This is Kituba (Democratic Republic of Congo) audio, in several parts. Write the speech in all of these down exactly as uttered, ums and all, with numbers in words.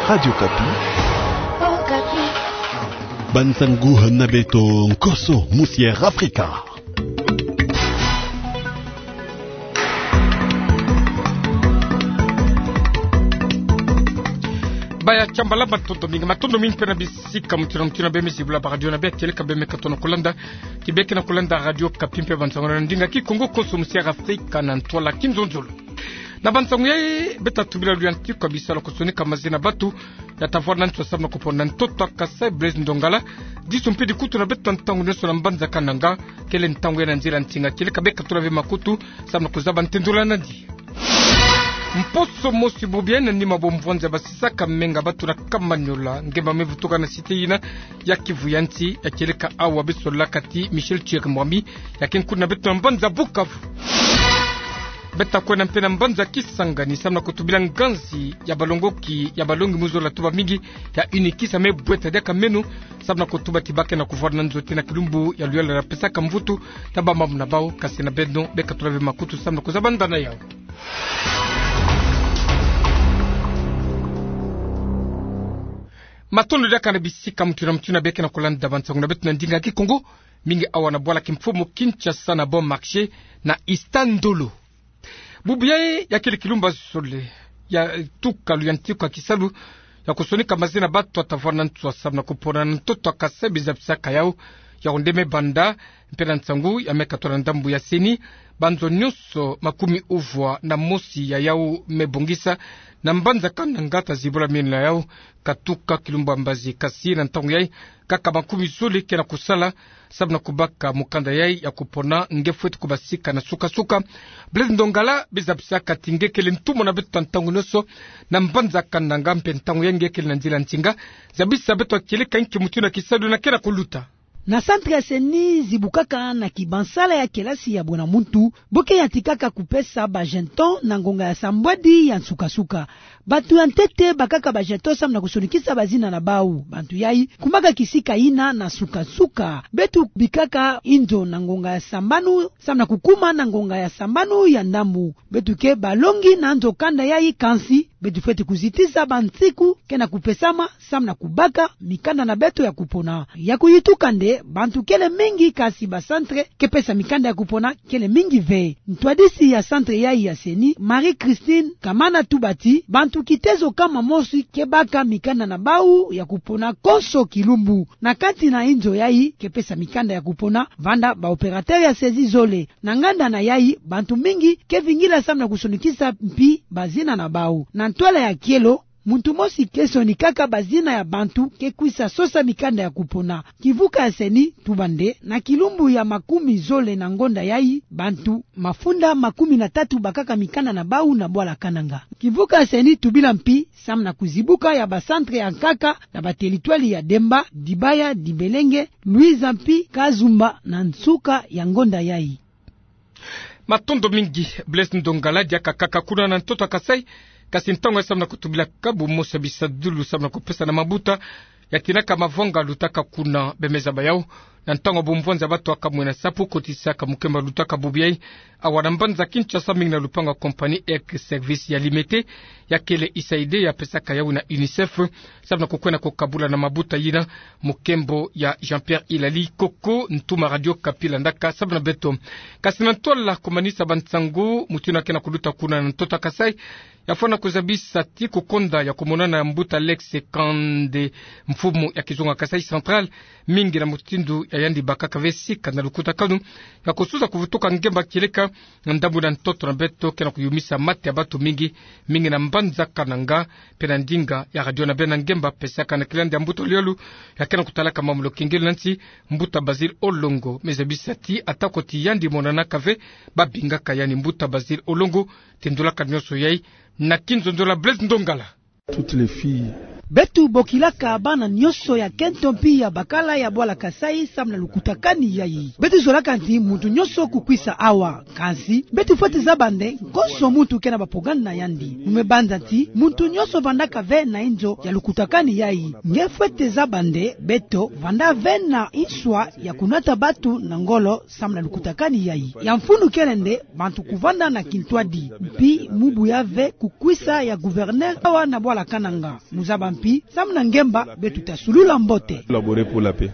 Radio Okapi. Okapi. Bansangu na beto, Nkoso Musière Afrika. Baya Shambala, matondo mingi, matondo mingi mpe na bisika mutindu na mutindu beme zibula ba radio na bê, kieleka beme katono kulanda, ti bê ke na kulanda Radio Okapi mpe bansangu na ndinga Kikongo, Nkoso Musière Afrika na ntwala kinzonzolo. Na bansangu yayi, beta tubila luyantika bisalu ya kusonika mazina batu ya tavwara na ntswa samu na kupona ntoto a Kasai, Blaise Ndongala. Disu mpe dikutu na beto ntangu nyonso na mbanza Kananga, kele ntangu ya na nzila nsinga, kieleka beka tula ve makutu samu na kuzaba ntendula nandi. Mposo mosi bubu yayi, na nima bo mvwanza basisaka menga batu na Kamanyola, ngemba me vutuka na cité yina ya Kivu ya nsi, ya kieleka awa besolaka ti Michel Thierry Mwami, ya ke nkuna na beto na mbanza Bukavu. Beta kwenda mpe na mbanza Kisangani samu na kutubila nganzi ya balongoki ya balongi mu zola tuba mingi ya UNIKISA me bweta diaka meno samu na kutuba ti ba ke na kuvwara na nzote na kilumbu ya luyala ya pesaka mvutu na bamama na bau. Kasi na beno, beka tula ve makutu samu na kuzaba ndana yau. Matondo diaka na bisika mutindu na mutindu bê ke na kulanda bansangu na beto na ndinga Kikongo, mingi awa na bwala kimfumu Kinshasa na Bon Marché na Ista Ndolo. Bubu yayi ya kele kilumbu ya zole ya tuka luyantika kisalu ya kusonika mazina batu ya tavwara na ntswa samu na kupona ntoto a Kasai, bizabisaka yau. Yau nde me banda mpe na nsangu ya me katula na ndambu ya CENI, banzo nyonso makumi uvwa na mosi ya yau me bongisa na mbanza Kananga, ta zibula mino na yau katuka kilumbu ya mbazi. Kasi na ntangu yayi, kaka makumi zole ke na kusala samu na kubaka mukanda yayi ya kupona nge fweti kubasika na suka-suka. Blaise Ndongala, bizabisaka ti nge kele ntumwa na beto ntangu nyonso na mbanza Kananga, mpe ntangu yayi nge kele na nzila nsinga. Zabisa beto kieleka nki mutindu ya kisalu yina ke na kuluta. Na centre ya CENI zibukaka na kibansala ya kelasi ya bwena muntu, bo ke yantikaka kupesa ba jetons na ngonga ya sambwadi ya nsuka-nsuka. Batu ya ntete bakaka ba jetons samu na kusonikisa bazina na bau. Bantu yayi kumaka kisika yina na nsuka-nsuka. Beto bikaka inzo na ngonga ya sambanu samu na kukuma na ngonga ya sambanu ya ndambu. Beto ke balongi na nzo kanda yayi, kansi beto fweti kuzitisa bansiku ke na kupesama samu na kubaka mikanda na beto ya kupona. Ya kuyituka nde, bantu kele mingi, kasi ba centre ke pesa mikanda ya kupona kele mingi ve. Ntwadisi ya centre yayi ya CENI, Marie-Christine Kamana, tuba ti bantu kitezo kama mosi ke baka mikanda na bau ya kupona konso kilumbu. Na kati na inzo yayi ke pesa mikanda ya kupona, vanda ba opérateurs ya saisie zole. Na nganda na yayi, bantu mingi ke vingila samu na kusonikisa mpi bazina na bau. Na ntwala ya kielo, muntu mosi ke sonikaka bazina ya bantu ke kwisa sosa mikanda ya kupona. Kivuka ya CENI tuba nde, na kilumbu ya makumi zole na ngonda yayi, bantu mafunda makumi na tatu bakaka mikanda na bau na bwala Kananga. Kivuka ya CENI tubila mpi samu na kuzibuka ya ba centre ya nkaka na ba territoire ya Demba, Dibaya, Dibelenge, Luiza mpi Kazumba na nsuka ya ngonda yayi. Matondo mingi, Blaise Ndongala, diaka kaka kuna na ntoto a Kasai, kasi ntangu yayi samu na kutubila kabu mosi ya bisadulu samu na kupesa na mabuta ya tinaka mavanga lutaka kuna. Beme zaba yau, na ntangu ya bumvwanza batu ya kamwena sapu kotisaka mukemba lutaka bubu yayi, awa na mbanza Kinshasa, mingi na lupangu ya compagnie Air Service ya Limete, ya kele USAID ya pesaka yau na UNICEF, samu na kukwenda kukabula na mabuta yina, mukembo ya Jean-Pierre Ilali Koko, ntuma Radio Okapi landaka samu na beto. Kasi na ntwala kumanisa bansangu, mutindu ke na kuluta kuna na ntoto a Kasai, ya fwana kuzabisa ti kukonda ya kumonana ya mbuta Alex Kande, mfumu ya kizunga Kasai Central, mingi na mutindu ya yandi bakaka ve sika na lukutakanu ya kusuza kuvutuka ngemba kieleka na ndambu na ntoto na beto ke na kuyumisa mate ya batu mingi, mingi na mbanza Kananga, mpe na ndinga ya radio na bê na ngemba pesaka na kilandi ya mbuta Lialu ya ke na kutalaka mambu na lukengelo na nsi, mbuta Basil Olongo, me zabisa ti atako ti yandi monanaka ve, babingaka yandi. Mbuta Basil Olongo, tendulaka nyonso yayi na kinzonzolo ya Blaise Ndongala. Toutes les filles Beto bokilaka bana nyonso ya kento mpi ya bakala ya bwala Kasaï samu na lukutakani yayi. Beto zolaka nti muntu nyonso kukwisa awa. Kansi, beto fwete zaba nde konso muntu kena bapogani na yandi. Mu me banza nti muntu nyonso vandaka ve na inzo ya lukutakani yayi. Nge fwete zaba nde beto vanda ve na inswa ya kunata bantu na ngolo samu na lukutakani yayi. Ya mfunu kele nde bantu kuvanda na kintwadi. Mpi mu buya ve kukwisa ya gouverneur awa na bwala Kananga. Mu zaba mpi samu na ngemba beto ta sulula mbote. Collaborer pour la paix.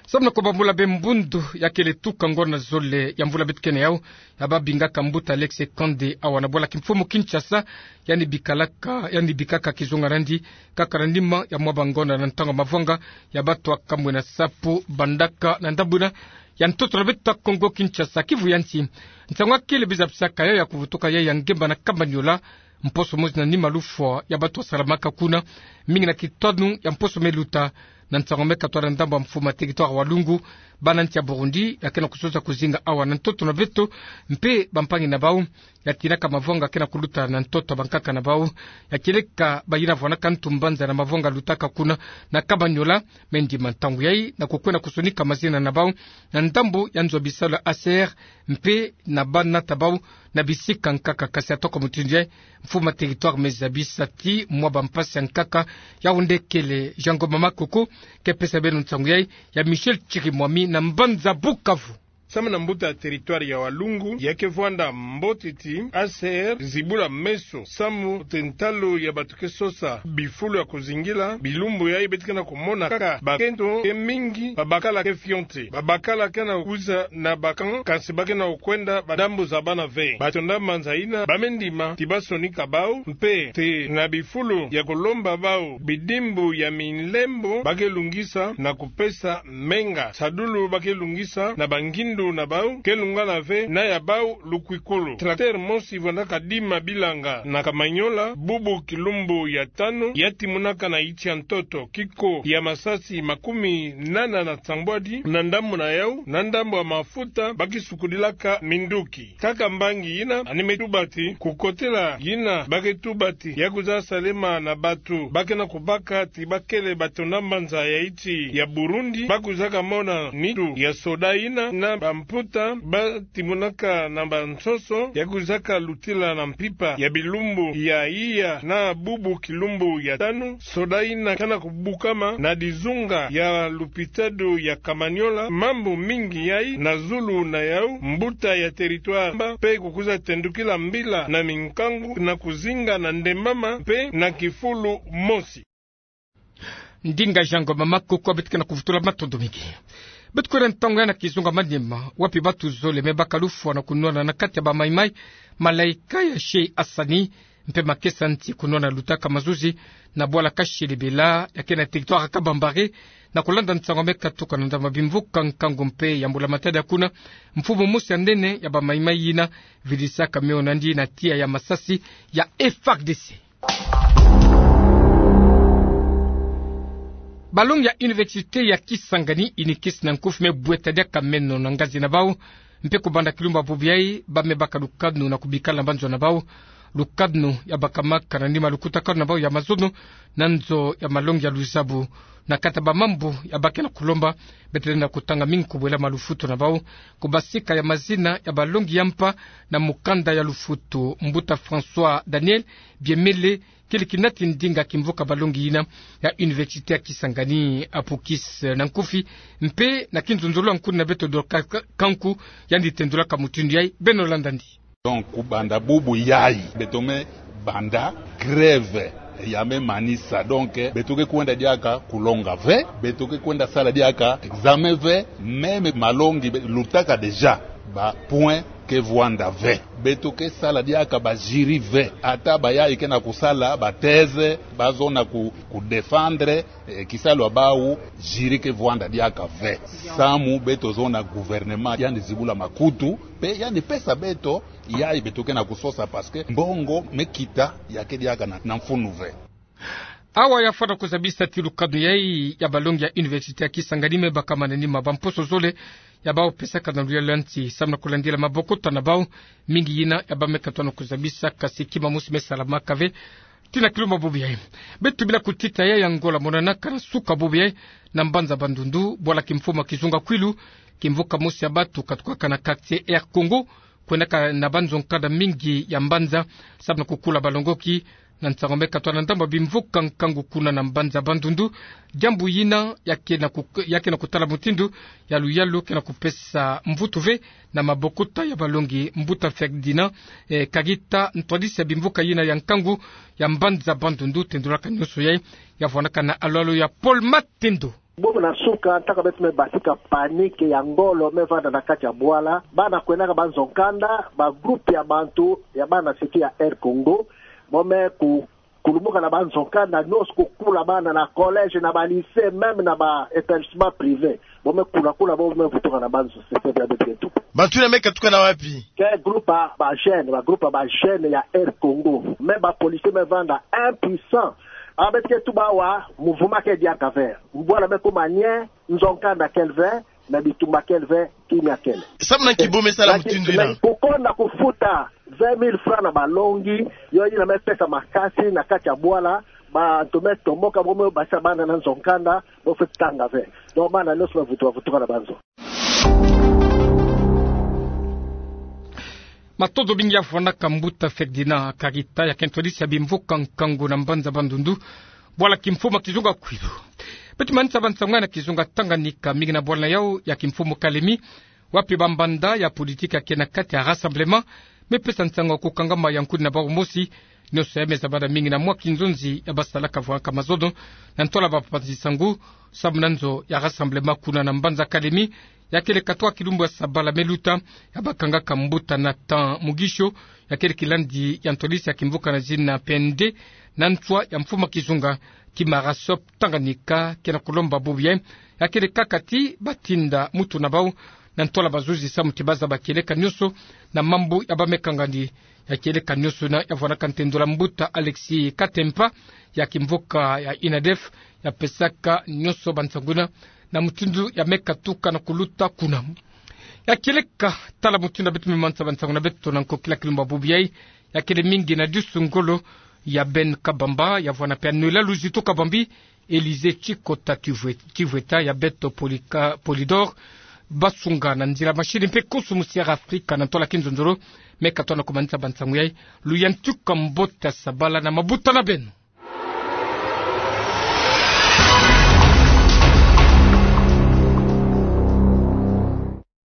Samu na kubambula be mbundu ya kele tuka ngonda zole ya mvula beto kena yau, ya babingaka mbuta Alex Kande awa na bwala kimfumu Kinshasa, yandi bikalaka, yandi bikaka kizunga nandi, kaka na nima ya mwa bangonda na ntangu mavanga ya bato akamwe na sapu bandaka na ndambu ina ya ntoto na beto Kongo Kinshasa. Kivu ya nsi, nsangu ya kele bizabisaka yau ya kuvutuka yai ya ngemba na Kamanyola, mposo mosi na nima lufwa ya bato asalamaka kuna, mingi na kitanu ya mposo me luta. Na nsangu me katwa na ndambu ya mfumu ya territoire Walungu, bana nsi ya Burundi ya kena kusosa kuzinga awa na ntoto na beto, mpe bampangi na bau ya tinaka mavanga kena kuluta na ntoto ya bankaka na bau, ya kieleka bayina vwanaka ntu mbanza na mavanga lutaka kuna na Kamanyola. Me ndima ntangu yai na kukwenda kusonika mazina na bau na ndambu ya nzo ya bisalu ya A C R, mpe na banata bau na bisika nkaka. Kasi atoko mutindu yai, mfumu ya territoire me zabisa ti mwa bampasi ya nkaka. Yau nde kele Jean Ngoma Makoko ke pesa beno nsangu yai, ya Michel Chirimwami na mbanza Bukavu. Samu na mbuta ya territoire ya Walungu, ya ke vwanda mbote ti A C R zibula meso samu te ntalu ya bato ke sosa bifulu ya kuzingila. Bilumbu yai beto kena kumona kaka bakento ke mingi, babakala ke fioti. Babakala kena kwiza na ba camp, kansi ba kena kukwenda ba ndambu zabana ve. Batonda mbanza yina ba me ndima ti basonika bau, mpe te na bifulu ya kulomba bau bidimbu ya milembo ba ke lungisa na kupesa menga. Sadulu ba ke lungisa na bangindu na bau ke lungana ve na ya bau lukwikulu. Tracteur mosi vwandaka dima bilanga na Kamanyola bubu kilumbu ya tanu, ya timonaka na iti ya ntoto kiko ya masasi makumi nana na sambwadi na ndambu na yau, na ndambu ya mafuta ba ke sukudilaka minduki. Kaka mbangi yina, yandi me tuba ti kukotela yina ba ke tuba ti ya kwiza salema na bato ba kena kubaka ti ba kele batonda mbanza ya iti ya Burundi, ba kwizaka mona nitu ya soda yina na bamputa ba timonaka na bansoso, ya kwizaka lutila na mpimpa ya bilumbu ya iya na bubu kilumbu ya tanu. Soda yina kena kubukama na dizunga ya lupitalu ya Kamanyola. Mambu mingi yai na zulu na yau, mbuta ya territoire mba mpe kukwiza tendukila mbila na minkangu na kuzinga na ndembama mpe na kifulu mosi. Ndinga Jean Ngoma Makoko. Beto kena kuvutula matondo mingi. Beto kwenda ntangu yai na kizunga Maniema, wapi bato zole me baka lufwa na kunwana na kati ya ba maimai, malaika ya Sheikh Hassani, mpe makesa nti kunwana lutaka mazuzi na bwala Kashilibila, ya kena territoire Kabambare, na kulanda nsangu me katuka na ndambu ya bimvuka nkangu mpe ya mbula matadi ya kuna, mfumu mosi ya nene ya ba maimai yina vidisaka mio na yandi na tiya ya masasi ya F A R D C. Balongi ya université ya Kisangani, UNIKIS na nkufi, me bweta diaka meno na ngazi na bau, mpe kubanda kilumbu ya bubu yai ba me baka lukanu na kubikala na banzo na bau. Lukanu ya bakamaka na nima lukutakanu na bau ya mazono na nzo ya malongi ya luzabu. Na kati ya ba mambu ya ba kena kulomba, beto lenda kutanga mingi kubwela malufutu na bau, kubasika ya mazina ya balongi ya mpa na mukanda ya lufutu. Mbuta François Daniel Biemele, kele kinati ndinga kimvuka balongi yina ya université ya Kisangani, UNIKIS na nkufi, mpe na kinzonzolo ya nkuni na beto Dorcas Ka-, Kanku, yandi tendulaka mutindu yai. Beno landa'andi. Donc, kubanda bubu yai, beto me banda grève ya me manisa. Donc, beto ke kwenda diaka kulonga ve, beto ke kwenda sala diaka examen ve, même malongi be-, lutaka déjà, ba point ke vwanda ve. Beto ke sala diaka ba jury ve. Ata ba yai kena kusala ba thèse, ba zona ku, ku défendre, eh, kisalu ya bau, jury ke vwanda diaka ve. Samu beto zona gouvernement yandi zibula makutu, mpe yandi pesa beto yai beto kena kusosa, parce que mbongo me kita ya ke diaka na, na mfunu ve. Awa ya fwana kuzabisa ti lukanu yai ya balongi ya université ya Kisangani me bakama na nima bamposo zole ya bau pesaka na luyalu ya nsi, samu na kulandila mabokota na bau, mingi yina ya ba me katwa na kuzabisa, kasi kima mosi me salamaka ve. Tina kilumbu bubu yayi. Beto bila kutita yayi ya ngola monanaka na suka bubu yayi, na mbanza Bandundu, bwala kimfumu kizunga kwilu, kimvuka mosi ya batu katukaka na quartier Air Congo, kwendaka na banzo nkanda mingi ya mbanza, sababu na kukula balongoki, na nsangu me katwa na ndambu ya bimvuka nkangu kuna na mbanza Bandundu, diambu yina ya kena ku-, ya kena kutala mutindu ya luyalu kena kupesa mvutu ve na mabokuta ya balongi. Mbuta Ferdinand, eh, Kagita, ntwadisi ya bimvuka yina ya nkangu ya mbanza Bandundu, tendulaka nionso yayi, ya vwanaka na alolo ya Paul Matendo. Bubu na suka, ntaka beto me basika panique ya ngolo me vanda na kati ya bwala. Bana kwendaka banzo nkanda, ba groupe ya bantu, ya bana siti ya Air Congo, bo me ku-, kulumuka na banzo nkanda nionso, kukula bana na collège, na ba lycée, même na ba établissement privé. Bo me kula kula, bo me vutuka na banzo, c'est ça, beto ke tuka. Bantu yina me katuka na wapi? Ke groupe ya ba jeunes, ba groupe ya ba jeunes ya Air Congo. Mais ba policiers me vanda impuissants. Ah, beto ke tuba awa, mouvement ke diaka ve. Bwala me kuma nie, nzo nkanda kele ve, na bitumba kele ve, kimia kele. Sababu na nki bo me sala mutindu yina? Kukonda kufuta vingt mille francs na balongi, yo yina me pesa makasi na kati ya bwala, bantu me tomoka, bo me basisa bana na nzo nkanda, bo fweti tanga ve. Donc bana nionso me vutu-, vutuka na banzo. Matondo mingi ya vwanaka mbuta Ferdinand Kagita, ya ke ntwadisi ya bimvuka nkangu na mbanza Bandundu, bwala kimfumu kizunga kwilu. Beto manisa bansangu na kizunga Tanganyika, mingi na bwala na yau ya kimfumu Kalemi, wapi ba mbanda ya politique ya ke na kati ya rassemblement me pesa nsangu ya kukangama ya nkuni na bau mosi, nionso ya me zabana mingi na mwa kinzonzi ya basalaka vwanaka mazono, na ntwala bapanzi nsangu, sababu na nzo ya rassemblement kuna na mbanza Kalemi, ya kele katwa kilumbu ya sabala me luta, ya bakangaka mbuta Nathan Mugisho, ya kele kilandi ya ntwadisi ya kimvuka na zina P N D, na nswa ya mfumu kizunga, kima RASOP Tanganyika kena kulomba bubu yayi, ya kele kaka ti batinda mutu na bau, na ntwala bazuzi samu ti bazaba kieleka nionso na mambu ya ba me kangandi. Ya kieleka nionso yina ya vwanaka ntendolo ya mbuta Alexis Katempa, ya kimvuka ya INADEF, ya pesaka nionso bansangu yina na mutindu ya me katuka na kuluta kuna. Ya kieleka tala mutindu ya beto me manisa bansangu na beto na nkokila kilumbu bubu yayi, ya kele mingi na disu ngolo ya Ben Kabamba, ya vwana pe ya Noëlla Luzitu Kabambi, Élysée Tchicota Tivwe-, Tivweta, ya beto Polika-, Polydor Basunga na nzila mashini mpe konso musi ya Afrika na ntwala kinzonzolo, me katwa na kumanisa bansangu yayi, luyantika mbote ya sabala na mabuta na beno.